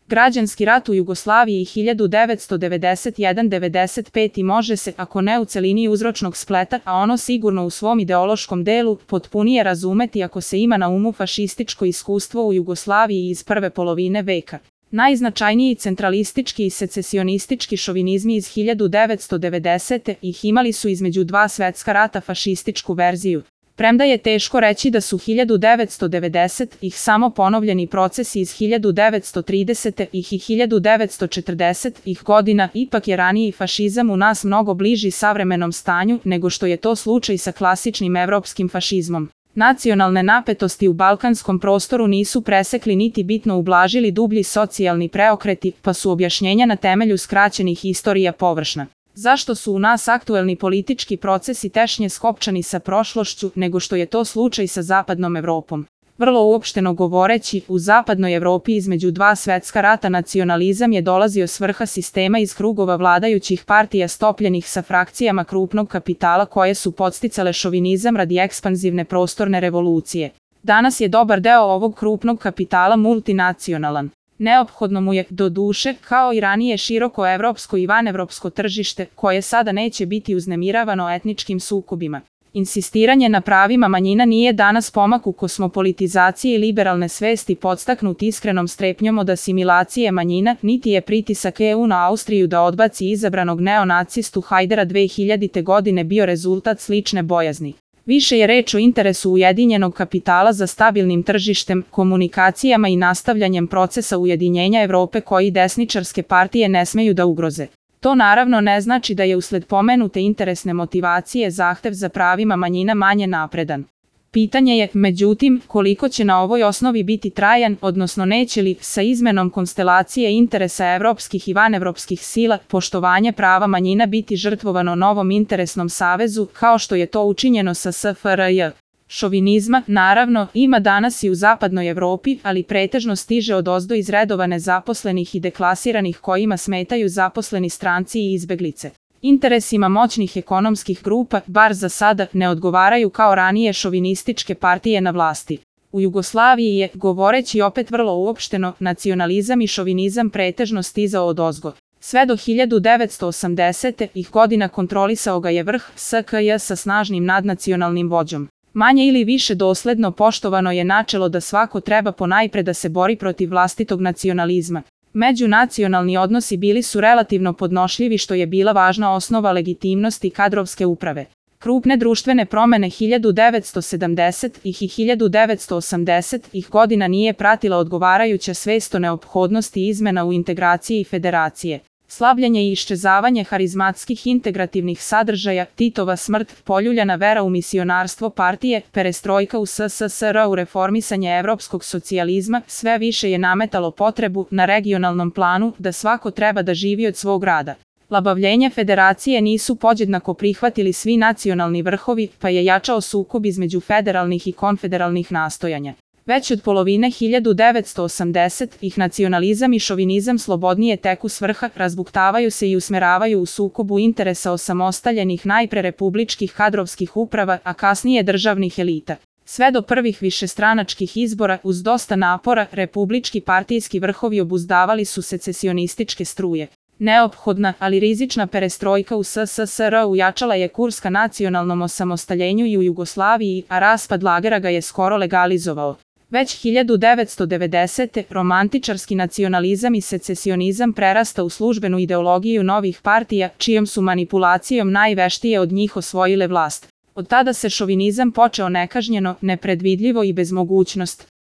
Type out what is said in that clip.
Građanski rat u Jugoslaviji 1991–95 može se, ako ne u celini uzročnog spleta, a ono sigurno u svom ideološkom delu, potpunije razumeti ako se ima na umu fašističko iskustvo u Jugoslaviji iz prve polovine veka. Najznačajniji centralistički i secesionistički šovinizmi iz 1990. ih imali su između dva svetska rata fašističku verziju. Premda je teško reći da su 1990 ih samo ponovljeni procesi iz 1930 ih i 1940 ih godina, ipak je raniji fašizam u nas mnogo bliži savremenom stanju nego što je to slučaj sa klasičnim evropskim fašizmom. Nacionalne napetosti u balkanskom prostoru nisu presekli niti bitno ublažili dublji socijalni preokreti, pa su objašnjenja na temelju skraćenih istorija površna. Zašto su u nas aktuelni politički procesi tešnje skopčani sa prošlošću nego što je to slučaj sa zapadnom Evropom? Vrlo uopšteno govoreći, u zapadnoj Evropi između dva svetska rata nacionalizam je dolazio s vrha sistema iz krugova vladajućih partija stopljenih sa frakcijama krupnog kapitala koje su podsticale šovinizam radi ekspanzivne prostorne revolucije. Danas je dobar deo ovog krupnog kapitala multinacionalan. Neophodno mu je, doduše, kao i ranije široko evropsko i vanevropsko tržište, koje sada neće biti uznemiravano etničkim sukobima. Insistiranje na pravima manjina nije danas pomak u kosmopolitizaciji i liberalne svesti podstaknut iskrenom strepnjom od asimilacije manjina, niti je pritisak EU na Austriju da odbaci izabranog neonacistu Hajdera 2000. godine bio rezultat slične bojazni. Više je reč o interesu ujedinjenog kapitala za stabilnim tržištem, komunikacijama i nastavljanjem procesa ujedinjenja Evrope koji desničarske partije ne smeju da ugroze. To naravno ne znači da je usled pomenute interesne motivacije zahtev za pravima manjina manje napredan. Pitanje je, međutim, koliko će na ovoj osnovi biti trajan, odnosno neće li, sa izmenom konstelacije interesa evropskih i vanevropskih sila, poštovanje prava manjina biti žrtvovano novom interesnom savezu, kao što je to učinjeno sa SFRJ. Šovinizma, naravno, ima danas i u zapadnoj Evropi, ali pretežno stiže odozdo iz redova nezaposlenih i deklasiranih kojima smetaju zaposleni stranci i izbeglice. Interesima moćnih ekonomskih grupa, bar za sada, ne odgovaraju kao ranije šovinističke partije na vlasti. U Jugoslaviji je, govoreći opet vrlo uopšteno, nacionalizam i šovinizam pretežno stizao odozgo. Sve do 1980. ih godina kontrolisao ga je vrh SKJ sa snažnim nadnacionalnim vođom. Manje ili više dosledno poštovano je načelo da svako treba ponajpre da se bori protiv vlastitog nacionalizma. Međunacionalni odnosi bili su relativno podnošljivi što je bila važna osnova legitimnosti kadrovske uprave. Krupne društvene promene 1970 ih i 1980 ih godina nije pratila odgovarajuća svest o neophodnosti izmena u integraciji i federacije. Slabljenje i iščezavanje harizmatskih integrativnih sadržaja, Titova smrt, poljuljana vera u misionarstvo partije, perestrojka u SSSR u reformisanje evropskog socijalizma, sve više je nametalo potrebu, na regionalnom planu, da svako treba da živi od svog rada. Labavljenje federacije nisu podjednako prihvatili svi nacionalni vrhovi, pa je jačao sukob između federalnih i konfederalnih nastojanja. Već od polovine 1980 ih nacionalizam i šovinizam slobodnije teku s vrha, razbuktavaju se i usmeravaju u sukobu interesa osamostaljenih najpre republičkih kadrovskih uprava, a kasnije državnih elita. Sve do prvih višestranačkih izbora, uz dosta napora, republički partijski vrhovi obuzdavali su secesionističke struje. Neophodna, ali rizična perestrojka u SSSR ujačala je kurs ka nacionalnom osamostaljenju i u Jugoslaviji, a raspad lagera ga je skoro legalizovao. Već 1990. romantičarski nacionalizam i secesionizam prerasta u službenu ideologiju novih partija, čijom su manipulacijom najveštije od njih osvojile vlast. Od tada se šovinizam počeo nekažnjeno, nepredvidljivo i bez mogućnost